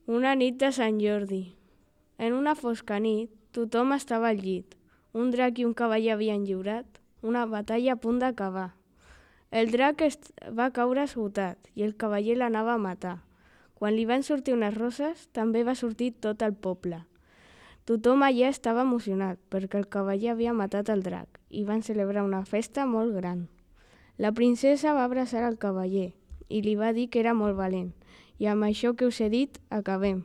Una nit de Sant Jordi. En una fosca nit, tothom estava al llit. Un drac i un cavaller havien lliurat una batalla a punt d'acabar. El drac va caure esgotat i el cavaller l'anava a matar. Quan li van sortir unes roses, també va sortir tot el poble. Tothom allà estava emocionat perquè el cavaller havia matat el drac i van celebrar una festa molt gran. La princesa va abraçar el cavaller i li va dir que era molt valent. I amb això que us he dit, acabem.